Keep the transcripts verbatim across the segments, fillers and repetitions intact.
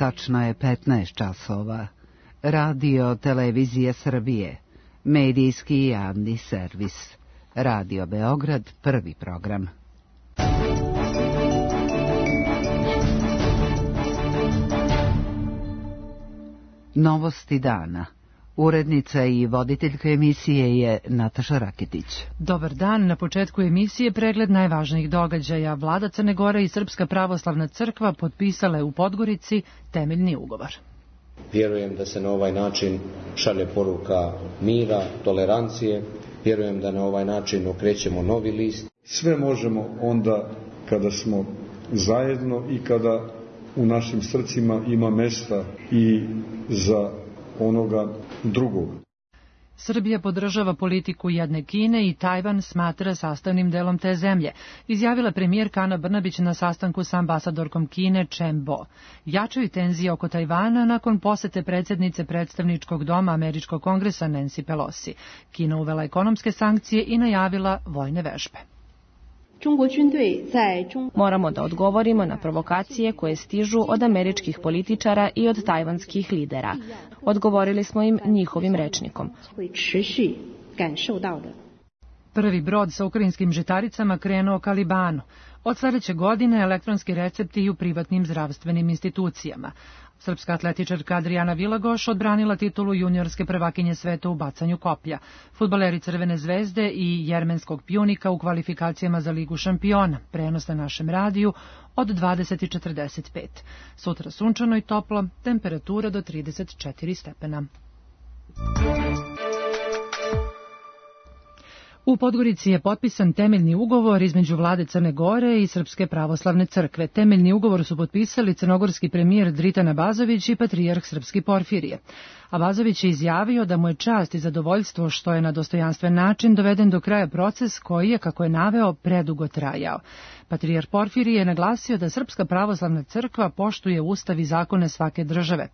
tačno je petnaest časova. Radio Televizija Srbije, medijski i javni servis. Radio Beograd, prvi program. Novosti dana. Urednica i voditeljka emisije je Nataša Rakitić. Dobar dan, na početku emisije pregled najvažnijih događaja. Vlada Crne Gore i Srpska pravoslavna crkva potpisale u Podgorici temeljni ugovor. Vjerujem da se na ovaj način šalje poruka mira, tolerancije. Vjerujem da na ovaj način okrećemo novi list. Sve možemo onda kada smo zajedno i kada u našim srcima ima mesta i za onoga drugog. Srbija podržava politiku jedne Kine i Tajvan smatra sastavnim delom te zemlje, izjavila premijerka Ana Brnabić na sastanku sa ambasadorkom Kine Chen Bo. Jačaju tenzije oko Tajvana nakon posete predsjednice predstavničkog doma Američkog kongresa Nancy Pelosi. Kina uvela ekonomske sankcije i najavila vojne vežbe. Moramo da odgovorimo na provokacije koje stižu od američkih političara i od tajvanskih lidera. Odgovorili smo im njihovim rečnikom. Prvi brod sa ukrajinskim žitaricama krenuo ka Libanu. Od sljedeće godine elektronski recepti i u privatnim zdravstvenim institucijama. Srpska atletičarka Adriana Vilagoš odbranila titulu juniorske prvakinje sveta u bacanju koplja. Fudbaleri Crvene zvezde i jermenskog Pjunika u kvalifikacijama za Ligu šampiona. Prenos na našem radiju od dvadeset četrdeset pet. Sutra sunčano i toplo, temperatura do trideset četiri stepena. U Podgorici je potpisan temeljni ugovor između vlade Crne Gore i Srpske pravoslavne crkve. Temeljni ugovor su potpisali crnogorski premijer Dritan Abazović i patrijarh srpski Porfirije. Abazović je izjavio da mu je čast i zadovoljstvo što je na dostojanstven način doveden do kraja proces koji je, kako je naveo, predugo trajao. Patrijarh Porfirije je naglasio da Srpska pravoslavna crkva poštuje ustav i zakone svake države.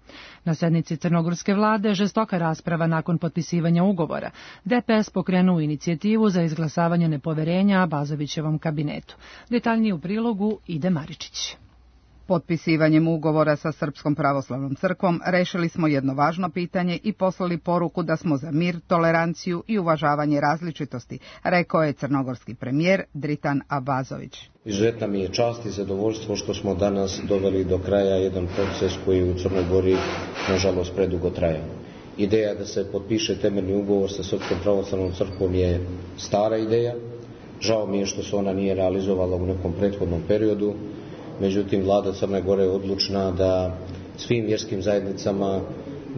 Na sednici crnogorske vlade žestoka rasprava nakon potpisivanja ugovora. D P S pokrenuo inicijativu za izglasavanje nepoverenja Abazovićevom kabinetu. Detaljnije u prilogu Ide Maričić. Potpisivanjem ugovora sa Srpskom pravoslavnom crkvom rešili smo jedno važno pitanje i poslali poruku da smo za mir, toleranciju i uvažavanje različitosti, rekao je crnogorski premijer Dritan Abazović. Izuzetna mi je čast i zadovoljstvo što smo danas doveli do kraja jedan proces koji u Crnoj Gori nažalost predugo traja. Ideja da se potpiše temeljni ugovor sa Srpskom pravoslavnom crkvom je stara ideja. Žao mi je što se ona nije realizovala u nekom prethodnom periodu. Međutim, vlada Crne Gore je odlučna da svim vjerskim zajednicama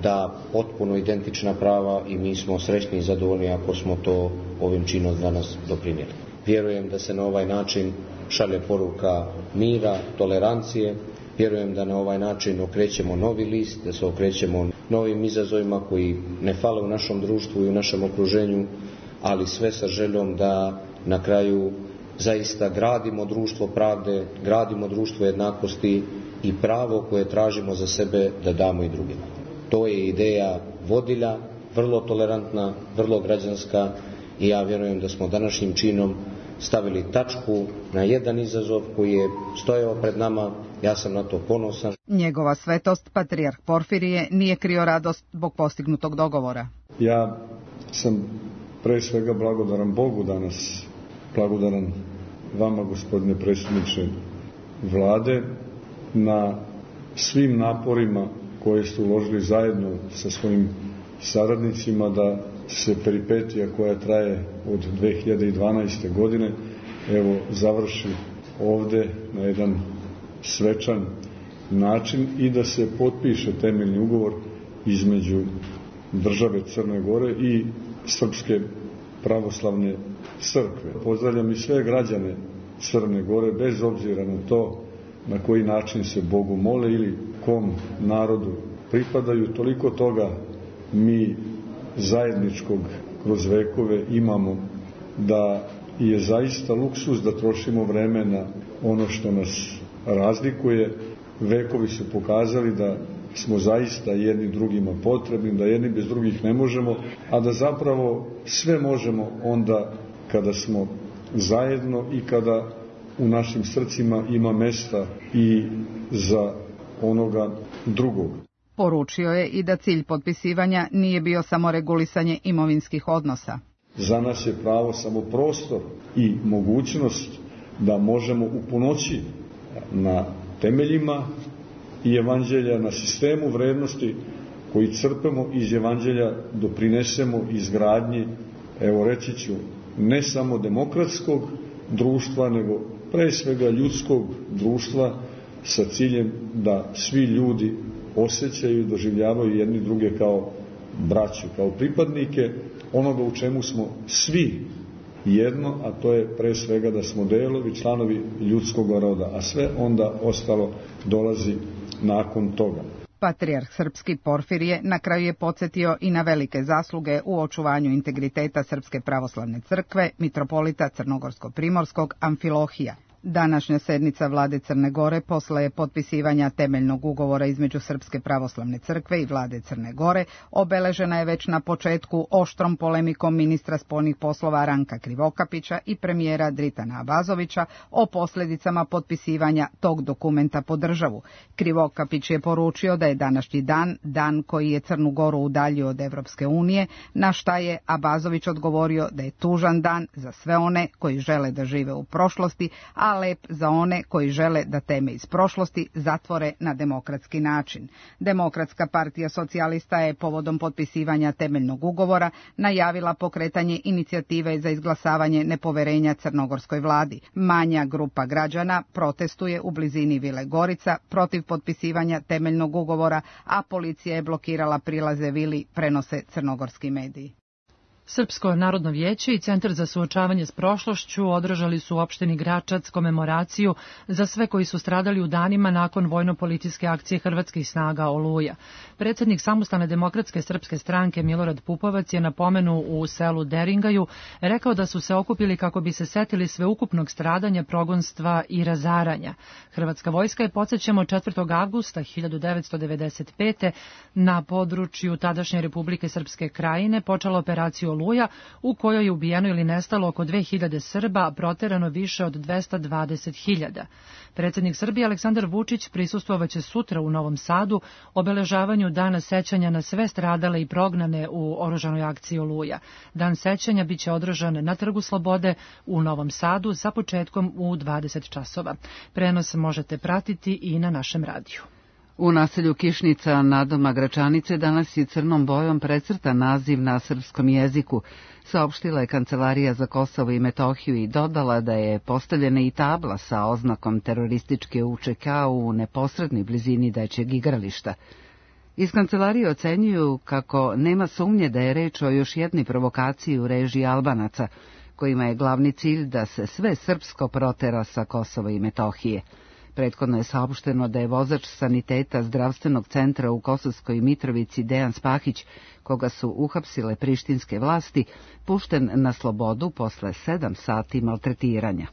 da potpuno identična prava i mi smo srećni i zadovoljni ako smo to ovim činom danas doprinijeli. Vjerujem da se na ovaj način šalje poruka mira, tolerancije. Vjerujem da na ovaj način okrećemo novi list, da se okrećemo novim izazovima koji ne fale u našem društvu i u našem okruženju, ali sve sa željom da na kraju zaista gradimo društvo pravde, gradimo društvo jednakosti i pravo koje tražimo za sebe da damo i drugima. To je ideja vodilja, vrlo tolerantna, vrlo građanska i ja vjerujem da smo današnjim činom stavili tačku na jedan izazov koji je stojao pred nama. Ja sam na to ponosan. Njegova svetost, patrijarh Porfirije, nije krio radost zbog postignutog dogovora. Ja sam pre svega blagodaran Bogu danas, blagodaran vama, gospodine predsjedniče vlade, na svim naporima koje ste uložili zajedno sa svojim saradnicima da se peripetija koja traje od dve hiljade dvanaeste. godine evo završi ovde na jedan svečan način i da se potpiše temeljni ugovor između države Crne Gore i Srpske pravoslavne crkve. Pozdravljam i sve građane Crne Gore bez obzira na to na koji način se Bogu mole ili kom narodu pripadaju. Toliko toga mi zajedničkog kroz vekove imamo da je zaista luksuz da trošimo vreme na ono što nas razlikuje. Vekovi su pokazali da smo zaista jedni drugima potrebni, da jedni bez drugih ne možemo, a da zapravo sve možemo onda kada smo zajedno i kada u našim srcima ima mesta i za onoga drugog. Poručio je i da cilj potpisivanja nije bio samo regulisanje imovinskih odnosa. Za nas je pravo samo prostor i mogućnost da možemo u punoći na temeljima i evanđelja, na sistemu vrednosti koji crpemo iz evanđelja doprinesemo izgradnji, evo reći ću, ne samo demokratskog društva, nego pre svega ljudskog društva sa ciljem da svi ljudi osjećaju i doživljavaju jedni druge kao braću, kao pripadnike onoga u čemu smo svi jedno, a to je pre svega da smo delovi, članovi ljudskog roda, a sve onda ostalo dolazi nakon toga. Patrijarh srpski Porfirije na kraju je podsjetio i na velike zasluge u očuvanju integriteta Srpske pravoslavne crkve, mitropolita Crnogorsko-primorskog Amfilohija. Današnja sednica vlade Crne Gore posle potpisivanja temeljnog ugovora između Srpske pravoslavne crkve i vlade Crne Gore obeležena je već na početku oštrom polemikom ministra spoljnih poslova Ranka Krivokapića i premijera Dritana Abazovića o posljedicama potpisivanja tog dokumenta po državu. Krivokapić je poručio da je današnji dan, dan koji je Crnu Goru udaljio od Evropske unije, na šta je Abazović odgovorio da je tužan dan za sve one koji žele da žive u prošlosti, a lep za one koji žele da teme iz prošlosti zatvore na demokratski način. Demokratska partija socijalista je povodom potpisivanja temeljnog ugovora najavila pokretanje inicijative za izglasavanje nepoverenja crnogorskoj vladi. Manja grupa građana protestuje u blizini Vile Gorica protiv potpisivanja temeljnog ugovora, a policija je blokirala prilaze vili, prenose crnogorski mediji. Srpsko narodno vijeće i Centar za suočavanje s prošlošću održali su u opštini Gračac komemoraciju za sve koji su stradali u danima nakon vojno-policijske akcije hrvatskih snaga Oluja. Predsjednik Samostalne demokratske srpske stranke Milorad Pupovac je na pomenu u selu Deringaju rekao da su se okupili kako bi se setili sveukupnog stradanja, progonstva i razaranja. Hrvatska vojska je, podsjećamo, četvrtog avgusta hiljadu devetsto devedeset pete na području tadašnje Republike Srpske Krajine počela operaciju Oluja, u kojoj je ubijeno ili nestalo oko dve hiljade Srba, a proterano više od dvesta dvadeset hiljada. Predsjednik Srbije Aleksandar Vučić prisustvovaće sutra u Novom Sadu obeležavanju Dana sećanja na sve stradale i prognane u oružanoj akciji Oluja. Dan sećanja biće održan na Trgu Slobode u Novom Sadu sa početkom u dvadeset časova. Prenos možete pratiti i na našem radiju. U naselju Kišnica nadoma Gračanice danas je crnom bojom precrtan naziv na srpskom jeziku, saopštila je Kancelarija za Kosovo i Metohiju i dodala da je postavljena i tabla sa oznakom terorističke U Č K u neposrednoj blizini dečjeg igrališta. Iz kancelarije ocenjuju kako nema sumnje da je reč o još jednoj provokaciji u režiji Albanaca, kojima je glavni cilj da se sve srpsko protera sa Kosova i Metohije. Prethodno je saopšteno da je vozač saniteta zdravstvenog centra u Kosovskoj Mitrovici Dejan Spahić, koga su uhapsile prištinske vlasti, pušten na slobodu posle sedam sati maltretiranja.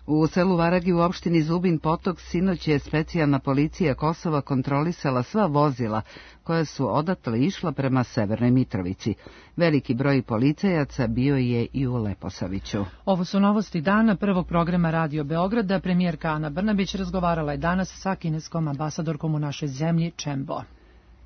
U selu Varagi u opštini Zubin Potok sinoć je specijalna policija Kosova kontrolisala sva vozila koja su odatle išla prema Severnoj Mitrovici. Veliki broj policajaca bio je i u Leposaviću. Ovo su novosti dana prvog programa Radio Beograda. Premijerka Ana Brnabić razgovarala je danas sa kineskom ambasadorkom u našoj zemlji Chen Bo.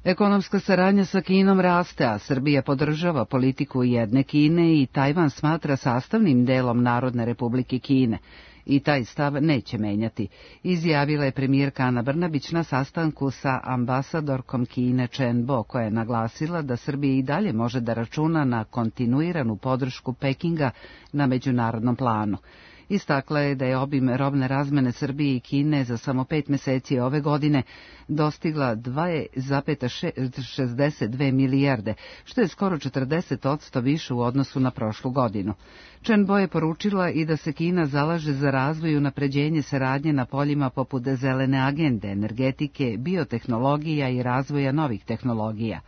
Ekonomska saradnja sa Kinom raste, a Srbija podržava politiku jedne Kine i Tajvan smatra sastavnim delom Narodne Republike Kine. I taj stav neće menjati, izjavila je premijerka Ana Brnabić na sastanku sa ambasadorkom Kine Chen Bo, koja je naglasila da Srbija i dalje može da računa na kontinuiranu podršku Pekinga na međunarodnom planu. Istakla je da je obim robne razmene Srbije i Kine za samo pet meseci ove godine dostigla dva zarez šezdeset dve milijarde, što je skoro četrdeset odsto više u odnosu na prošlu godinu. Chen Bo je poručila i da se Kina zalaže za razvoj i unapređenje saradnje na poljima poput zelene agende, energetike, biotehnologija i razvoja novih tehnologija.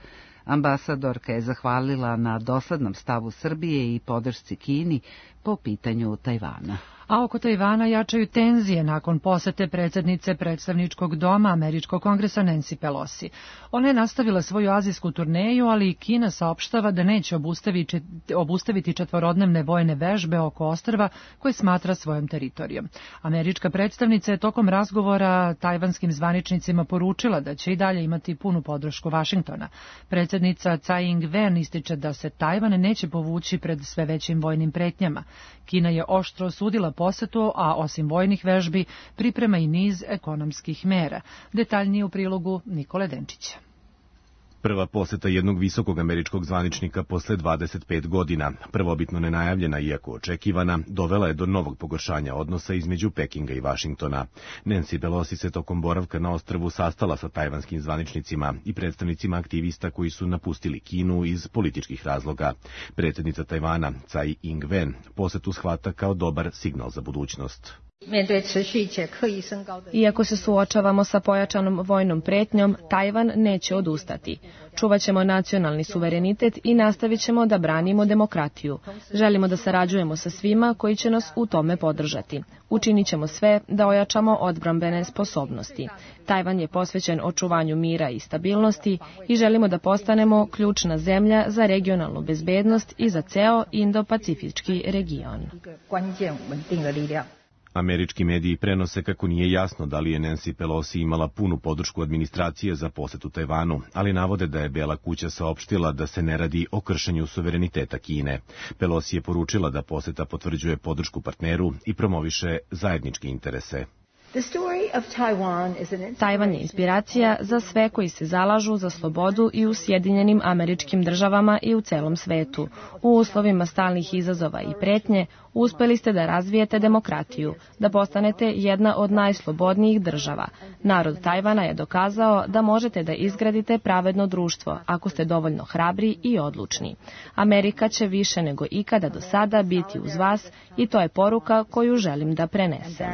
Ambasadorka je zahvalila na doslednom stavu Srbije i podršci Kini po pitanju Tajvana. A oko Tajvana jačaju tenzije nakon posete predsjednice predstavničkog doma Američkog kongresa Nancy Pelosi. Ona je nastavila svoju azijsku turneju, ali i Kina saopštava da neće obustaviti četvorodnevne vojne vežbe oko ostrva koje smatra svojom teritorijom. Američka predstavnica je tokom razgovora tajvanskim zvaničnicima poručila da će i dalje imati punu podršku Vašingtona. Predsjednica Tsai Ing-wen ističe da se Tajvan neće povući pred sve većim vojnim pretnjama. Kina je oštro osudila posetu, a osim vojnih vežbi priprema i niz ekonomskih mera. Detaljnije u prilogu Nikole Denčića. Prva poseta jednog visokog američkog zvaničnika posle dvadeset pet godina, prvobitno nenajavljena iako očekivana, dovela je do novog pogoršanja odnosa između Pekinga i Vašingtona. Nancy Pelosi se tokom boravka na ostrvu sastala sa tajvanskim zvaničnicima i predstavnicima aktivista koji su napustili Kinu iz političkih razloga. Predsjednica Tajvana, Tsai Ing-wen, posetu shvata kao dobar signal za budućnost. Iako se suočavamo sa pojačanom vojnom pretnjom, Tajvan neće odustati. Čuvaćemo nacionalni suverenitet i nastavit ćemo da branimo demokratiju. Želimo da sarađujemo sa svima koji će nas u tome podržati. Učinit ćemo sve da ojačamo odbrambene sposobnosti. Tajvan je posvećen očuvanju mira i stabilnosti i želimo da postanemo ključna zemlja za regionalnu bezbednost i za ceo Indo-Pacifički region. Američki mediji prenose kako nije jasno da li je Nancy Pelosi imala punu podršku administracije za posetu Tajvanu, ali navode da je Bela kuća saopštila da se ne radi o kršenju suvereniteta Kine. Pelosi je poručila da poseta potvrđuje podršku partneru i promoviše zajedničke interese. Tajvan je inspiracija za sve koji se zalažu za slobodu i u Sjedinjenim Američkim Državama i u celom svetu. U uslovima stalnih izazova i pretnje uspeli ste da razvijete demokratiju, da postanete jedna od najslobodnijih država. Narod Tajvana je dokazao da možete da izgradite pravedno društvo ako ste dovoljno hrabri i odlučni. Amerika će više nego ikada do sada biti uz vas i to je poruka koju želim da prenesem.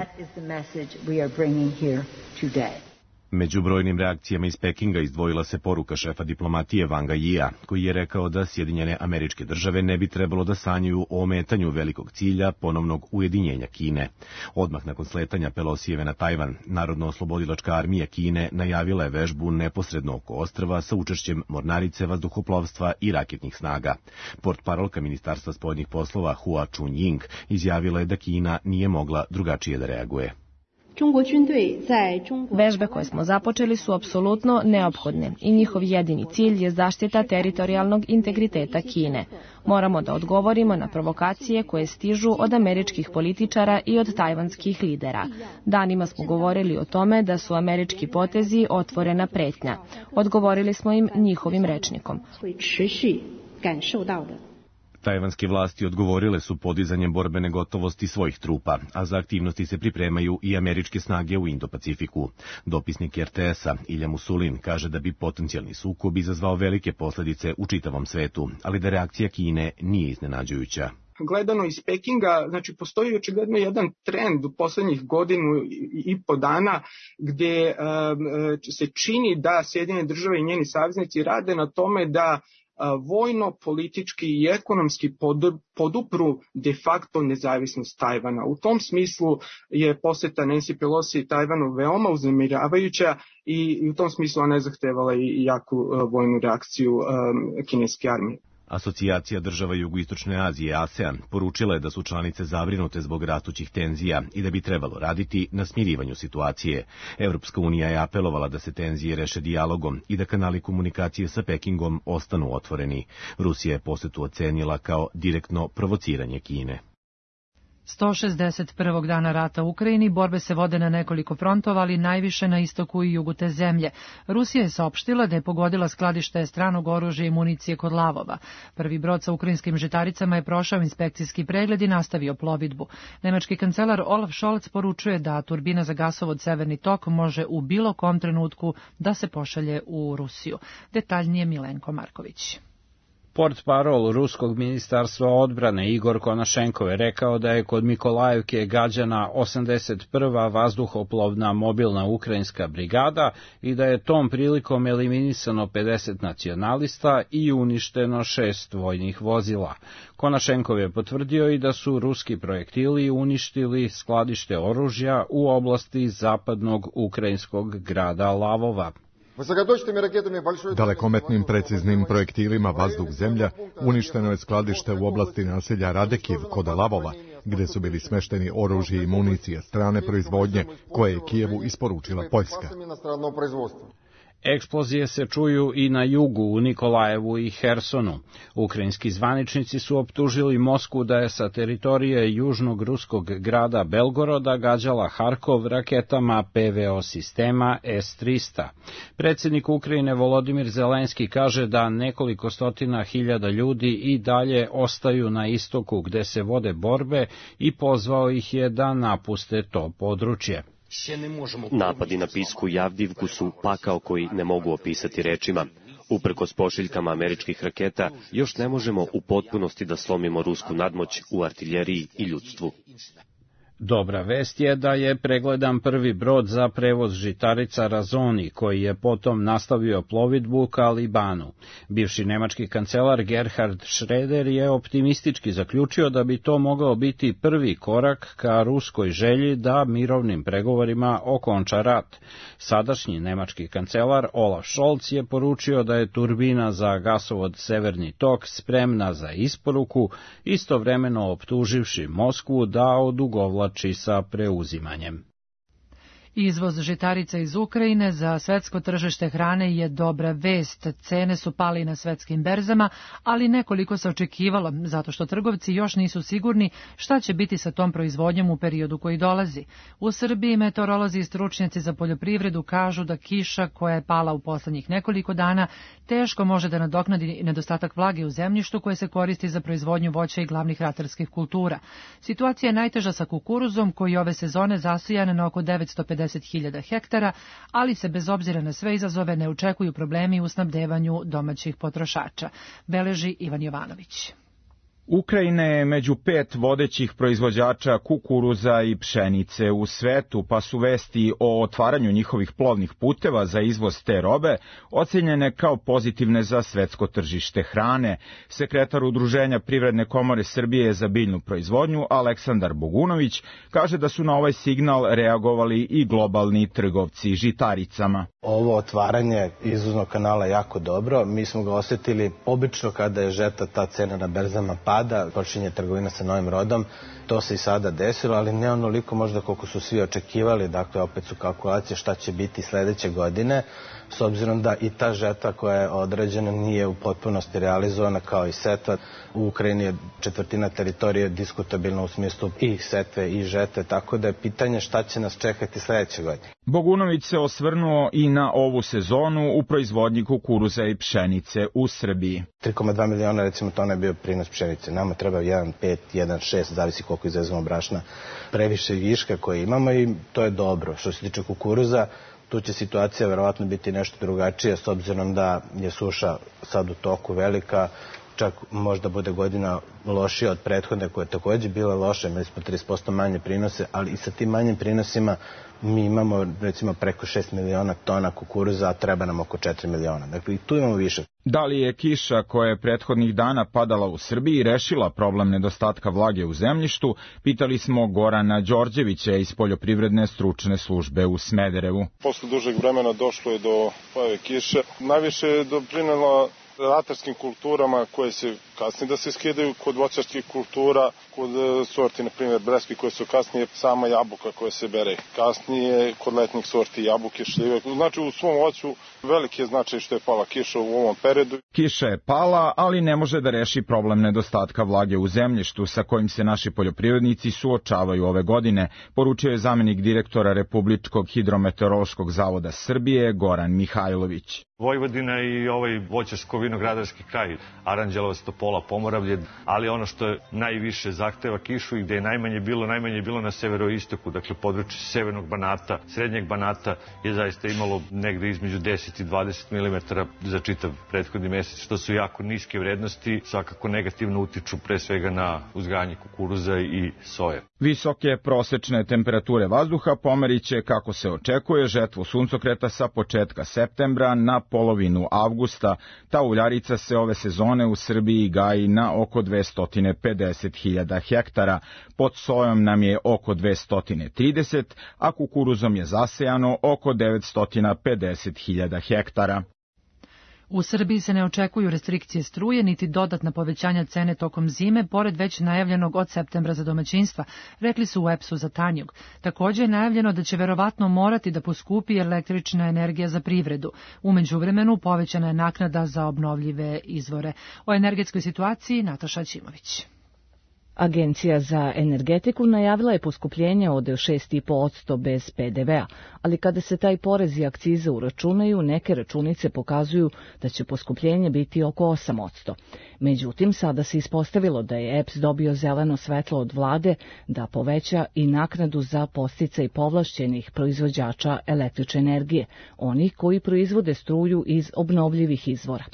Među brojnim reakcijama iz Pekinga izdvojila se poruka šefa diplomatije Wanga Yia, koji je rekao da Sjedinjene Američke Države ne bi trebalo da sanjaju o ometanju velikog cilja ponovnog ujedinjenja Kine. Odmah nakon sletanja Pelosijeve na Tajvan, Narodno-oslobodilačka armija Kine najavila je vežbu neposredno oko ostrva sa učešćem mornarice, vazduhoplovstva i raketnih snaga. Portparolka Ministarstva spoljnih poslova Hua Chunying izjavila je da Kina nije mogla drugačije da reaguje. Vežbe koje smo započeli su apsolutno neophodne i njihov jedini cilj je zaštita teritorijalnog integriteta Kine. Moramo da odgovorimo na provokacije koje stižu od američkih političara i od tajvanskih lidera. Danima smo govorili o tome da su američki potezi otvorena pretnja. Odgovorili smo im njihovim rečnikom. Tajvanske vlasti odgovorile su podizanjem borbene gotovosti svojih trupa, a za aktivnosti se pripremaju i američke snage u Indo-Pacifiku. Dopisnik R T S-a Ilja Musulin kaže da bi potencijalni sukob izazvao velike posljedice u čitavom svetu, ali da reakcija Kine nije iznenađujuća. Gledano iz Pekinga, znači postoji očigledno jedan trend u poslednjih godinu i po dana gde uh, se čini da Sjedinjene Države i njeni saveznici rade na tome da vojno, politički i ekonomski podupru de facto nezavisnost Tajvana. U tom smislu je poseta Nancy Pelosi Tajvanu veoma uznemiravajuća i u tom smislu ona je zahtevala i jaku vojnu reakciju kineske armije. Asocijacija država Jugoistočne Azije, ASEAN, poručila je da su članice zabrinute zbog rastućih tenzija i da bi trebalo raditi na smirivanju situacije. Evropska unija je apelovala da se tenzije reše dijalogom i da kanali komunikacije sa Pekingom ostanu otvoreni. Rusija je posetu ocenila kao direktno provociranje Kine. sto šezdeset prvog dana rata u Ukrajini borbe se vode na nekoliko frontova, ali najviše na istoku i jugu te zemlje. Rusija je saopštila da je pogodila skladište stranog oružja i municije kod Lavova. Prvi brod sa ukrajinskim žitaricama je prošao inspekcijski pregled i nastavio plovidbu. Nemački kancelar Olaf Scholz poručuje da turbina za gasovod Severni tok može u bilo kom trenutku da se pošalje u Rusiju. Detaljnije Milenko Marković. Portparol ruskog ministarstva odbrane Igor Konašenkov je rekao da je kod Mikolajevke gađana osamdeset prva vazduhoplovna mobilna ukrajinska brigada i da je tom prilikom eliminisano pedeset nacionalista i uništeno šest vojnih vozila. Konašenkov je potvrdio i da su ruski projektili uništili skladište oružja u oblasti zapadnog ukrajinskog grada Lavova. Dalekometnim preciznim projektilima vazduh-zemlja uništeno je skladište u oblasti naselja Radekiv kod Lavova, gde su bili smešteni oružje i municija strane proizvodnje koje je Kijevu isporučila Poljska. Eksplozije se čuju i na jugu u Nikolajevu i Hersonu. Ukrajinski zvaničnici su optužili Moskvu da je sa teritorije južnog ruskog grada Belgoroda gađala Harkov raketama P V O sistema S trista. Predsjednik Ukrajine Volodimir Zelenski kaže da nekoliko stotina hiljada ljudi i dalje ostaju na istoku gde se vode borbe i pozvao ih je da napuste to područje. Napadi na Pisku i Avdivku su pakao koji ne mogu opisati rečima. Uprkos pošiljkama američkih raketa, još ne možemo u potpunosti da slomimo rusku nadmoć u artiljeriji i ljudstvu. Dobra vest je da je pregledan prvi brod za prevoz žitarica Razoni, koji je potom nastavio plovidbu ka Libanu. Bivši nemački kancelar Gerhard Schröder je optimistički zaključio da bi to mogao biti prvi korak ka ruskoj želji da mirovnim pregovorima okonča rat. Sadašnji nemački kancelar Olaf Scholz je poručio da je turbina za gasovod Severni tok spremna za isporuku, istovremeno optuživši Moskvu da odugovlači sa preuzimanjem. Izvoz žitarica iz Ukrajine za svetsko tržište hrane je dobra vest. Cene su pali na svetskim berzama, ali nekoliko se očekivalo, zato što trgovci još nisu sigurni šta će biti sa tom proizvodnjom u periodu koji dolazi. U Srbiji meteorolozi i stručnjaci za poljoprivredu kažu da kiša koja je pala u poslednjih nekoliko dana teško može da nadoknadi nedostatak vlage u zemljištu koje se koristi za proizvodnju voća i glavnih ratarskih kultura. Situacija je najteža sa kukuruzom koji ove sezone zasijan na oko devetsto pedeset hiljada hektara, ali se bez obzira na sve izazove ne očekuju problemi u snabdevanju domaćih potrošača, beleži Ivan Jovanović. Ukrajina je među pet vodećih proizvođača kukuruza i pšenice u svetu, pa su vesti o otvaranju njihovih plovnih puteva za izvoz te robe ocenjene kao pozitivne za svetsko tržište hrane. Sekretar Udruženja Privredne komore Srbije za biljnu proizvodnju Aleksandar Bogunović kaže da su na ovaj signal reagovali i globalni trgovci žitaricama. Ovo otvaranje izvoznog kanala je jako dobro. Mi smo ga osetili obično kada je žeta, ta cena na berzama pada, počinje trgovina sa novim rodom. To se i sada desilo, ali ne onoliko možda koliko su svi očekivali. Dakle, opet su kalkulacije šta će biti sledeće godine, s obzirom da i ta žeta koja je određena nije u potpunosti realizovana kao i setva. U Ukrajini je četvrtina teritorije diskutabilna u smislu i setve i žete, tako da je pitanje šta će nas čekati sledeće godine. Bogunović se osvrnuo i na ovu sezonu u proizvodnji kukuruza i pšenice u Srbiji. tri zarez dva miliona recimo tona je bio prinos pšenice. Nama treba jedan zarez pet, jedan zarez šest, zavisi koliko izvezemo brašna, previše viška koje imamo i to je dobro. Što se tiče kukuruza, tu će situacija verovatno biti nešto drugačija s obzirom da je suša sad u toku velika, čak možda bude godina lošija od prethodne koja je takođe bila loša, imali smo trideset posto manje prinose, ali i sa tim manjim prinosima mi imamo recimo preko šest miliona tona kukuruza, a treba nam oko četiri miliona. Dakle, i tu imamo više. Da li je kiša koja je prethodnih dana padala u Srbiji rešila problem nedostatka vlage u zemljištu, pitali smo Gorana Đorđevića iz Poljoprivredne stručne službe u Smederevu. Posle dužeg vremena došlo je do pojave kiše. Najviše je doprinela ratarskim kulturama koje se kasnije da se skidaju kod voćarskih kultura, kod sorti, na primjer, breski koje su kasnije, sama jabuka koja se bere kasnije, kod letnjih sorti jabuke, šljive. Znači u svom voću veliki je značaj što je pala kiša u ovom periodu. Kiša je pala, ali ne može da reši problem nedostatka vlage u zemljištu sa kojim se naši poljoprivrednici suočavaju ove godine, poručio je zamenik direktora Republičkog hidrometeorološkog zavoda Srbije Goran Mihajlović. Vojvodina i ovaj voćarsko-vinogradarski kraj, Aranđelovac, Topola, Pomoravlje, ali ono što je najviše zahteva kišu i gde je najmanje bilo, najmanje je bilo na severoistoku, dakle područje severnog Banata, srednjeg Banata je zaista imalo negde između deset i dvadeset milimetara za čitav prethodni mesec, što su jako niske vrednosti, svakako negativno utiču pre svega na uzgajanje kukuruza i soje. Visoke prosečne temperature vazduha pomeriće, kako se očekuje, žetvu suncokreta sa početka septembra na polovinu avgusta. Ta uljarica se ove sezone u Srbiji gaji na oko dvesta pedeset hiljada hektara. Pod sojom nam je oko dvesta trideset, a kukuruzom je zasejano oko devetsto pedeset hiljada hektara. U Srbiji se ne očekuju restrikcije struje niti dodatna povećanja cene tokom zime, pored već najavljenog od septembra za domaćinstva, rekli su u E P S-u za Tanjug. Također je najavljeno da će verovatno morati da poskupi električna energija za privredu. U međuvremenu povećana je naknada za obnovljive izvore. O energetskoj situaciji Nataša Ćimović. Agencija za energetiku najavila je poskupljenje od šest zarez pet posto bez P D V-a, ali kada se taj porez i akcize uračunaju, neke računice pokazuju da će poskupljenje biti oko osam posto. Međutim, sada se ispostavilo da je E P S dobio zeleno svetlo od vlade da poveća i naknadu za podsticaj povlašćenih proizvođača električne energije, onih koji proizvode struju iz obnovljivih izvora.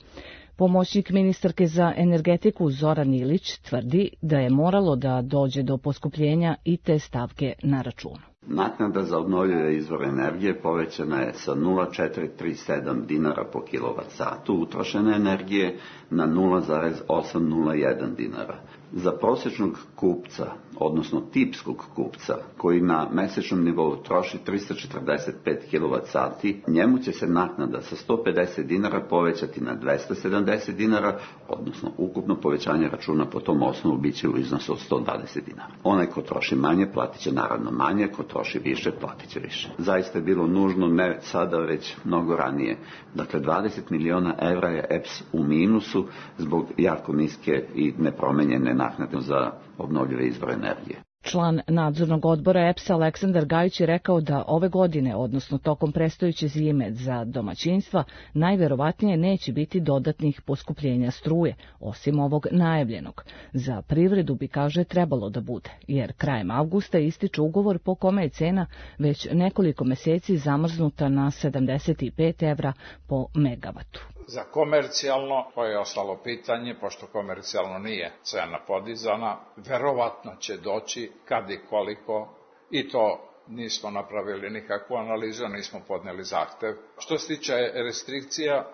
Pomoćnik ministarke za energetiku Zoran Ilić tvrdi da je moralo da dođe do poskupljenja i te stavke na računu. Naknada za obnovljive izvore energije povećana je sa nula zarez četiristo trideset sedam dinara po kilovat satu utrošene energije na nula zarez osamsto jedan dinara. Za prosječnog kupca, odnosno tipskog kupca, koji na mesečnom nivou troši trista četrdeset pet kilovat sati, njemu će se naknada sa sto pedeset dinara povećati na dvesta sedamdeset dinara, odnosno ukupno povećanje računa po tom osnovu biće u iznosu od sto dvadeset dinara. Onaj ko troši manje, platit će naravno manje, ko troši više, platit će više. Zaista je bilo nužno, ne sada, već mnogo ranije. Dakle, dvadeset miliona evra je E P S u minusu zbog jako niske i nepromenjene naknade za obnovljive izvore energije. Član nadzornog odbora E P S-a Aleksandar Gajić je rekao da ove godine, odnosno tokom predstojeće zime za domaćinstva, najverovatnije neće biti dodatnih poskupljenja struje, osim ovog najavljenog. Za privredu bi, kaže, trebalo da bude, jer krajem avgusta ističe ugovor po kome je cena već nekoliko meseci zamrznuta na sedamdeset pet evra po megavatu. Za komercijalno, to je ostalo pitanje, pošto komercijalno nije cena podizana, verovatno će doći kad i koliko, i to nismo napravili nikakvu analizu, nismo podneli zahtev. Što se tiče restrikcija,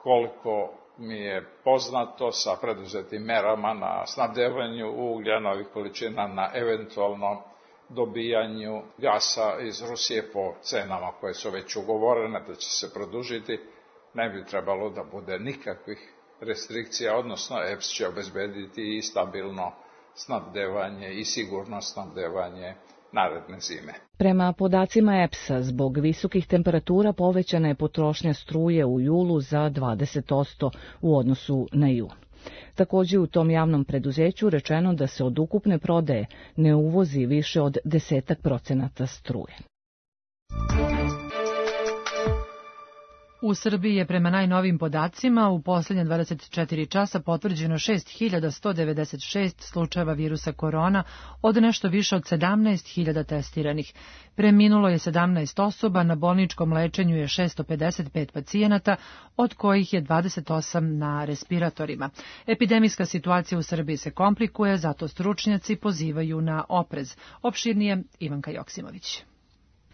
koliko mi je poznato sa preduzetim merama na snabdevanju uglja, novih količina, na eventualno dobijanju gasa iz Rusije po cenama koje su već ugovorene, da će se produžiti, ne bi trebalo da bude nikakvih restrikcija, odnosno E P S će obezbediti i stabilno snabdevanje i sigurno snabdevanje naredne zime. Prema podacima E P S-a, zbog visokih temperatura povećana je potrošnja struje u julu za dvadeset posto u odnosu na jun. Također u tom javnom preduzeću rečeno da se od ukupne prodaje ne uvozi više od desetak procenata struje. U Srbiji je prema najnovim podacima u posljednje dvadeset četiri časa potvrđeno šest hiljada sto devedeset šest slučajeva virusa korona od nešto više od sedamnaest hiljada testiranih. Preminulo je sedamnaest osoba, na bolničkom lečenju je šesto pedeset pet pacijenata, od kojih je dvadeset osam na respiratorima. Epidemijska situacija u Srbiji se komplikuje, zato stručnjaci pozivaju na oprez. Opširnije Ivanka Joksimović.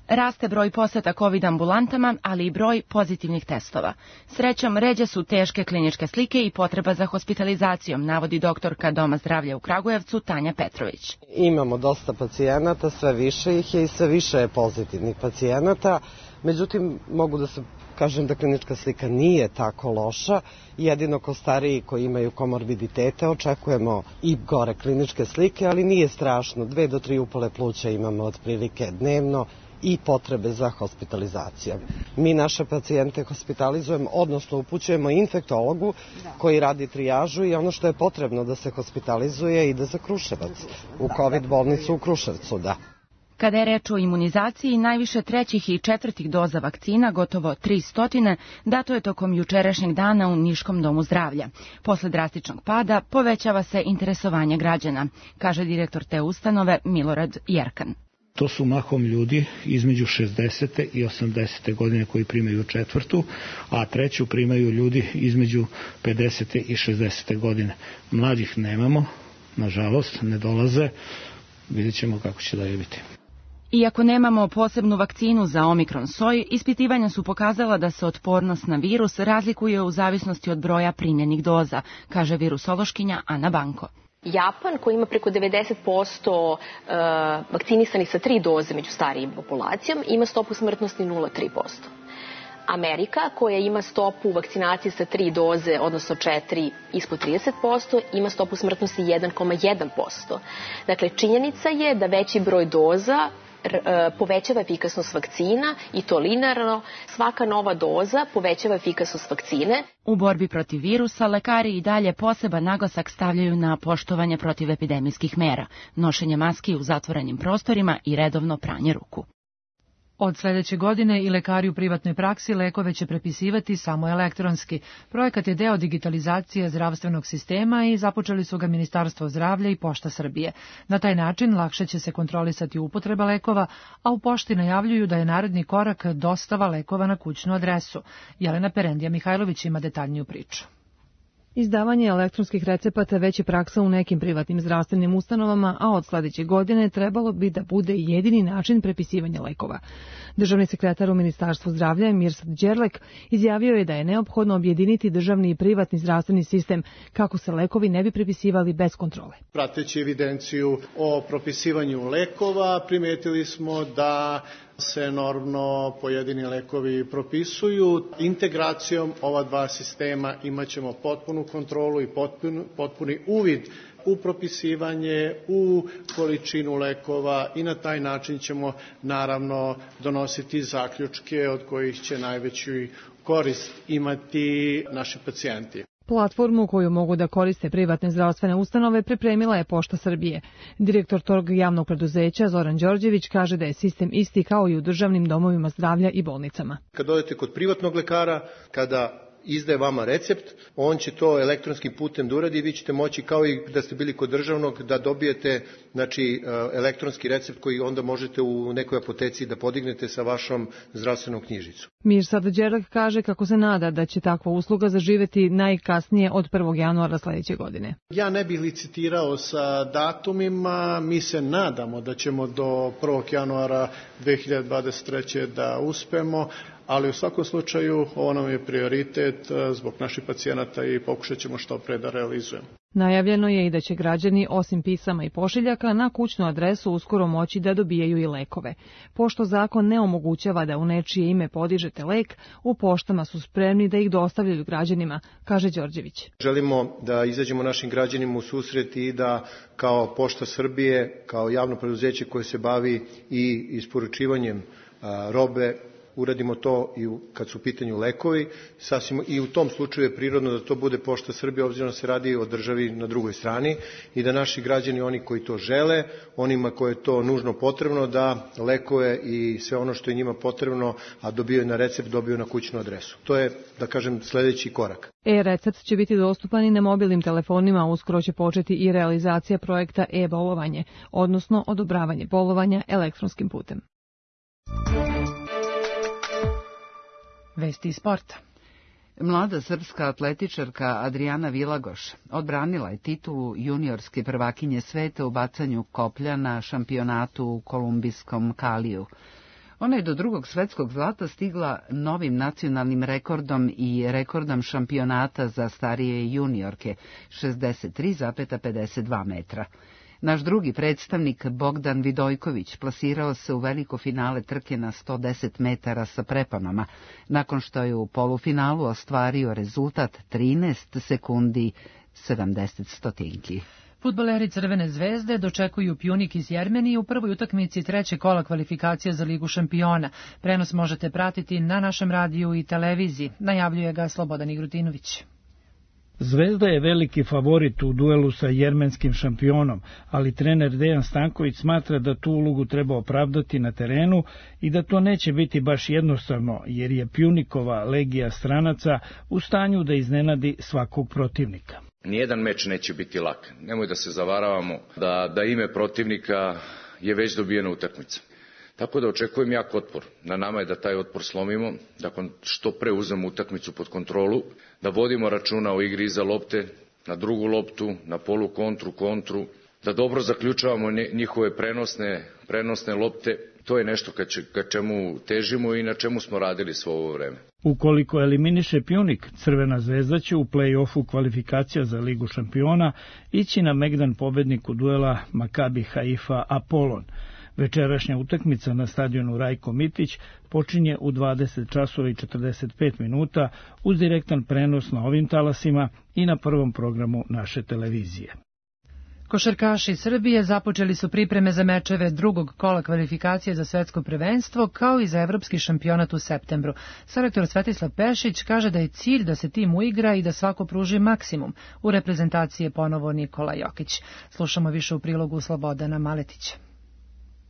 Raste broj poseta COVID ambulantama, ali i broj pozitivnih testova. Srećom, ređe su teške kliničke slike i potreba za hospitalizacijom, navodi doktorka Doma zdravlja u Kragujevcu Tanja Petrović. Imamo dosta pacijenata, sve više ih je i sve više je pozitivnih pacijenata. Međutim, mogu da se kažem da klinička slika nije tako loša. Jedino ko stariji koji imaju komorbiditete očekujemo i gore kliničke slike, ali nije strašno. Dve do tri upale pluća imamo otprilike dnevno i potrebe za hospitalizacijom. Mi naše pacijente hospitalizujemo, odnosno upućujemo infektologu koji radi trijažu i ono što je potrebno da se hospitalizuje ide za Kruševac, u COVID bolnicu u Kruševcu, da. Kada je reč o imunizaciji, najviše trećih i četvrtih doza vakcina, gotovo tristo, dato je tokom jučerašnjeg dana u Niškom domu zdravlja. Posle drastičnog pada povećava se interesovanje građana, kaže direktor te ustanove Milorad Jerkan. To su mahom ljudi između šezdesete i osamdesete godine koji primaju četvrtu, a treću primaju ljudi između pedesete i šezdesete godine. Mladih nemamo, nažalost, ne dolaze, vidjet ćemo kako će dalje biti. Iako nemamo posebnu vakcinu za omikron soj, ispitivanja su pokazala da se otpornost na virus razlikuje u zavisnosti od broja primljenih doza, kaže virusološkinja Ana Banko. Japan, koji ima preko devedeset posto vakcinisanih sa tri doze među starijim populacijom, ima stopu smrtnosti nula zarez tri posto. Amerika, koja ima stopu vakcinacije sa tri doze, odnosno četiri, ispod trideset posto, ima stopu smrtnosti jedan zarez jedan posto. Dakle, činjenica je da veći broj doza povećava efikasnost vakcina i to linearno. Svaka nova doza povećava efikasnost vakcine. U borbi protiv virusa lekari i dalje poseban naglasak stavljaju na poštovanje protivepidemijskih mera, nošenje maski u zatvorenim prostorima i redovno pranje ruku. Od sledeće godine i lekari u privatnoj praksi lekove će prepisivati samo elektronski. Projekat je deo digitalizacije zdravstvenog sistema i započeli su ga Ministarstvo zdravlja i Pošta Srbije. Na taj način lakše će se kontrolisati upotreba lekova, a u Pošti najavljuju da je naredni korak dostava lekova na kućnu adresu. Jelena Perendija Mihajlović ima detaljniju priču. Izdavanje elektronskih recepata već je praksa u nekim privatnim zdravstvenim ustanovama, a od sledeće godine trebalo bi da bude jedini način prepisivanja lekova. Državni sekretar u Ministarstvu zdravlja Mirsad Đerlek izjavio je da je neophodno objediniti državni i privatni zdravstveni sistem kako se lekovi ne bi prepisivali bez kontrole. Prateći evidenciju o propisivanju lekova, primetili smo da se enormno pojedini lekovi propisuju. Integracijom ova dva sistema imaćemo potpunu kontrolu i potpun, potpuni uvid u propisivanje, u količinu lekova i na taj način ćemo naravno donositi zaključke od kojih će najveću korist imati naši pacijenti. Platformu koju mogu da koriste privatne zdravstvene ustanove pripremila je Pošta Srbije. Direktor tog javnog preduzeća Zoran Đorđević kaže da je sistem isti kao i u državnim domovima zdravlja i bolnicama. Kad odete kod privatnog lekara, kada izdaje vama recept, on će to elektronskim putem da uradi i vi ćete moći kao i da ste bili kod državnog da dobijete znači, elektronski recept koji onda možete u nekoj apoteci da podignete sa vašom zdravstvenom knjižicom. Mirsad Đerlek kaže kako se nada da će takva usluga zaživeti najkasnije od prvog januara sledeće godine. Ja ne bih licitirao sa datumima, mi se nadamo da ćemo do prvog januara dve hiljade dvadeset treće da uspemo, ali u svakom slučaju ovo nam je prioritet zbog naših pacijenata i pokušat ćemo što pre da realizujemo. Najavljeno je i da će građani, osim pisama i pošiljaka, na kućnu adresu uskoro moći da dobijaju i lekove. Pošto zakon ne omogućava da u nečije ime podižete lek, u poštama su spremni da ih dostavljaju građanima, kaže Đorđević. Želimo da izađemo našim građanima u susret i da kao Pošta Srbije, kao javno preduzeće koje se bavi i isporučivanjem robe, uradimo to i kad su u pitanju lekovi, sasvim i u tom slučaju je prirodno da to bude Pošta Srbije, obzirom da se radi o državi na drugoj strani i da naši građani, oni koji to žele, onima koje je to nužno potrebno, da lekove i sve ono što je njima potrebno, a dobiju na recept, dobiju na kućnu adresu. To je, da kažem, sledeći korak. E-recept će biti dostupan i na mobilnim telefonima, uskoro će početi i realizacija projekta e-bolovanje, odnosno odobravanje bolovanja elektronskim putem. Vesti iz sporta. Mlada srpska atletičarka Adriana Vilagoš odbranila je titulu juniorske prvakinje sveta u bacanju koplja na šampionatu u kolumbijskom Kaliju. Ona je do drugog svetskog zlata stigla novim nacionalnim rekordom i rekordom šampionata za starije juniorke, šezdeset tri zarez pedeset dva metra. Naš drugi predstavnik, Bogdan Vidojković, plasirao se u veliko finale trke na sto deset metara sa preponama, nakon što je u polufinalu ostvario rezultat trinaest sekundi sedamdeset stotinki. Fudbaleri Crvene zvezde dočekuju Pjunik iz Jermenije u prvoj utakmici trećeg kola kvalifikacija za Ligu šampiona. Prenos možete pratiti na našem radiju i televiziji, najavljuje ga Slobodan Igrutinović. Zvezda je veliki favorit u duelu sa jermenskim šampionom, ali trener Dejan Stanković smatra da tu ulogu treba opravdati na terenu i da to neće biti baš jednostavno, jer je Pjunikova legija stranaca u stanju da iznenadi svakog protivnika. Nijedan meč neće biti lak. Nemoj da se zavaravamo da, da ime protivnika je već dobijena utakmica. Tako da očekujem jak otpor. Na nama je da taj otpor slomimo, da što pre uzmemo utakmicu pod kontrolu, da vodimo računa o igri iza lopte, na drugu loptu, na polu kontru, kontru, da dobro zaključavamo njihove prenosne, prenosne lopte. To je nešto ka, če, ka čemu težimo i na čemu smo radili svo ovo vreme. Ukoliko eliminiše Pjunik, Crvena zvezda će u play-offu kvalifikacija za Ligu šampiona ići na megdan pobedniku duela Makabi Haifa Apolon. Večerašnja utakmica na stadionu Rajko Mitić počinje u dvadeset časova i četrdeset pet minuta uz direktan prenos na ovim talasima i na prvom programu naše televizije. Košarkaši Srbije započeli su pripreme za mečeve drugog kola kvalifikacije za svetsko prvenstvo kao i za evropski šampionat u septembru. Selektor Svetislav Pešić kaže da je cilj da se tim uigra i da svako pruži maksimum. U reprezentaciji je ponovo Nikola Jokić. Slušamo više u prilogu Slobodana Maletića.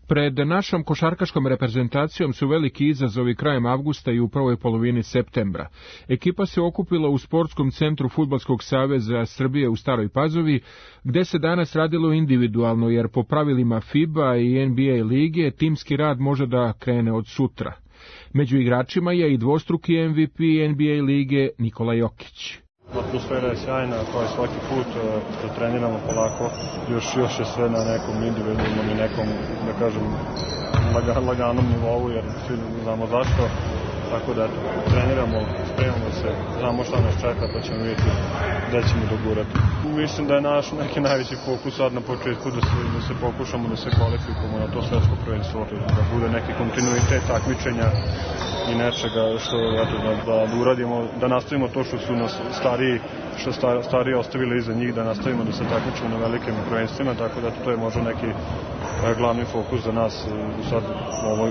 Pred našom košarkaškom reprezentacijom su veliki izazovi krajem avgusta i u prvoj polovini septembra. Ekipa se okupila u sportskom centru Fudbalskog saveza Srbije u Staroj Pazovi, gde se danas radilo individualno, jer po pravilima FIBA i N B A lige timski rad može da krene od sutra. Među igračima je i dvostruki M V P N B A lige Nikola Jokić. Atmosfera je sjajna, kao i svaki put što treniramo polako, još, još je sve na nekom individualnom i nekom, da kažem, laga, laganom nivou, jer svi znamo zašto. Tako da treniramo, spremamo se, znamo šta nas čeka, pa ćemo vidjeti gde ćemo dogurati. Mislim da je naš neki najveći fokus sad na početku da se, da se pokušamo da se kvalifikujemo na to svetsko prvenstvo, da bude neki kontinuitet takmičenja i nečega što eto, da, da uradimo, da nastavimo to što su nas stariji, što star, stariji ostavili iza njih, da nastavimo da se takmičimo na velikim prvenstvima, tako da to je možda neki glavni fokus za nas sad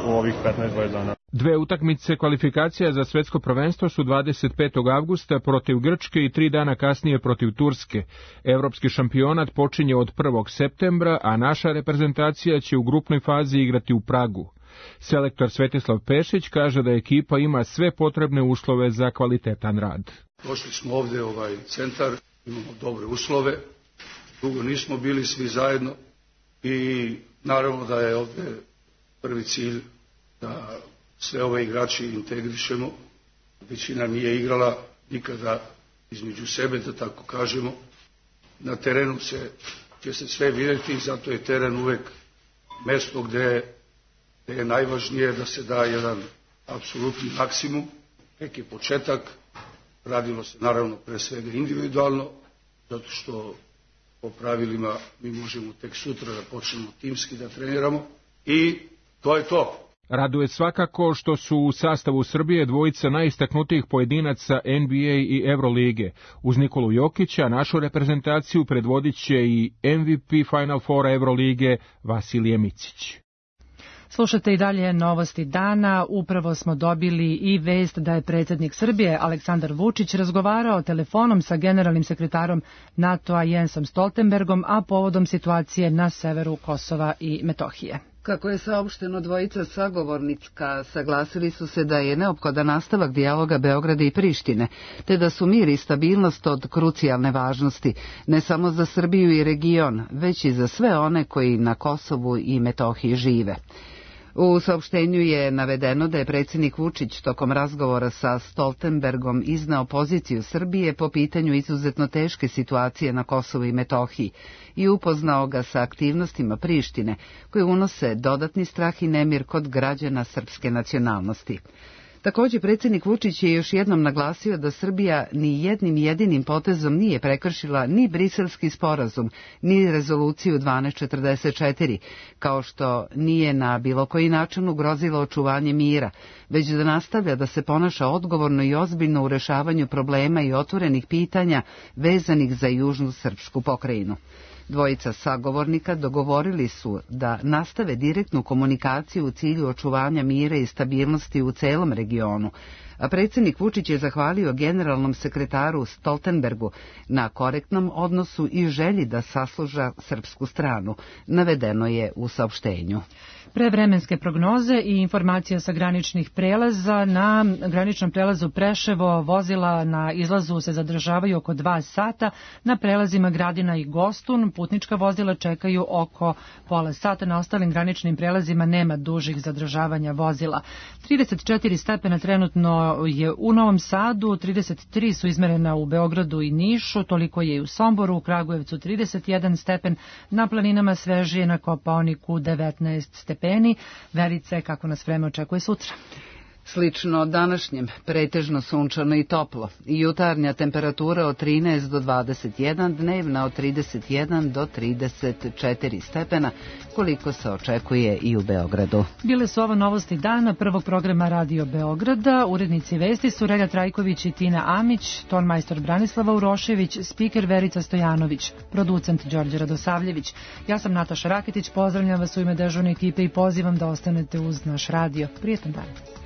u ovih petnaest dvadeset dana. Dve utakmice kvalifikacija za svetsko prvenstvo su dvadeset petog avgusta protiv Grčke i tri dana kasnije protiv Turske. Evropski šampionat počinje od prvog septembra, a naša reprezentacija će u grupnoj fazi igrati u Pragu. Selektor Svetislav Pešić kaže da ekipa ima sve potrebne uslove za kvalitetan rad. Došli smo ovde u ovaj centar, imamo dobre uslove, dugo nismo bili svi zajedno i naravno da je ovde prvi cilj da sve ove igrači integrišemo. Većina nije igrala nikada između sebe, da tako kažemo. Na terenu se, će se sve vidjeti i zato je teren uvek mesto gde, gde je najvažnije da se da jedan apsolutni maksimum. Neki početak, radilo se naravno pre svega individualno, zato što po pravilima mi možemo tek sutra da počnemo timski da treniramo i to je to. Raduje svakako što su u sastavu Srbije dvojica najistaknutijih pojedinaca N B A i Evrolige. Uz Nikolu Jokića našu reprezentaciju predvodit će i M V P Final Foura Evrolige Vasilije Micić. Slušate i dalje novosti dana. Upravo smo dobili i vest da je predsjednik Srbije Aleksandar Vučić razgovarao telefonom sa generalnim sekretarom NATO-a Jensom Stoltenbergom, a povodom situacije na severu Kosova i Metohije. Kako je saopšteno, dvojica sagovornika saglasili su se da je neophodan nastavak dijaloga Beograda i Prištine, te da su mir i stabilnost od krucijalne važnosti, ne samo za Srbiju i region, već i za sve one koji na Kosovu i Metohiji žive. U saopštenju je navedeno da je predsjednik Vučić tokom razgovora sa Stoltenbergom izneo poziciju Srbije po pitanju izuzetno teške situacije na Kosovu i Metohiji i upoznao ga sa aktivnostima Prištine koje unose dodatni strah i nemir kod građana srpske nacionalnosti. Također, predsjednik Vučić je još jednom naglasio da Srbija ni jednim jedinim potezom nije prekršila ni Briselski sporazum, ni rezoluciju dvanaest četrdeset četiri, kao što nije na bilo koji način ugrozila očuvanje mira, već da nastavlja da se ponaša odgovorno i ozbiljno u rešavanju problema i otvorenih pitanja vezanih za južnu srpsku pokrajinu. Dvojica sagovornika dogovorili su da nastave direktnu komunikaciju u cilju očuvanja mira i stabilnosti u celom regionu, a predsjednik Vučić je zahvalio generalnom sekretaru Stoltenbergu na korektnom odnosu i želji da sasluša srpsku stranu, navedeno je u saopštenju. Prevremenske prognoze i informacija sa graničnih prelaza. Na graničnom prelazu Preševo vozila na izlazu se zadržavaju oko dva sata, na prelazima Gradina i Gostun putnička vozila čekaju oko pola sata, na ostalim graničnim prelazima nema dužih zadržavanja vozila. trideset četiri stepena trenutno je u Novom Sadu, trideset tri su izmerena u Beogradu i Nišu, toliko je i u Somboru, u Kragujevcu trideset jedan stepen, na planinama svežije na Kopaoniku devetnaest stepeni. Verice, kako nas vreme očekuje sutra? Slično današnjem, pretežno sunčano i toplo. Jutarnja temperatura od trinaest do dvadeset jedan, dnevna od trideset jedan do trideset četiri stepena, koliko se očekuje i u Beogradu. Bile su ovo novosti dana prvog programa Radio Beograda. Urednici vesti su Relja Trajković i Tina Amić, tonmajstor Branislava Urošević, spiker Verica Stojanović, producent Đorđe Radosavljević. Ja sam Nataša Raketić, pozdravljam vas u ime dežurne ekipe i pozivam da ostanete uz naš radio. Prijetan dan.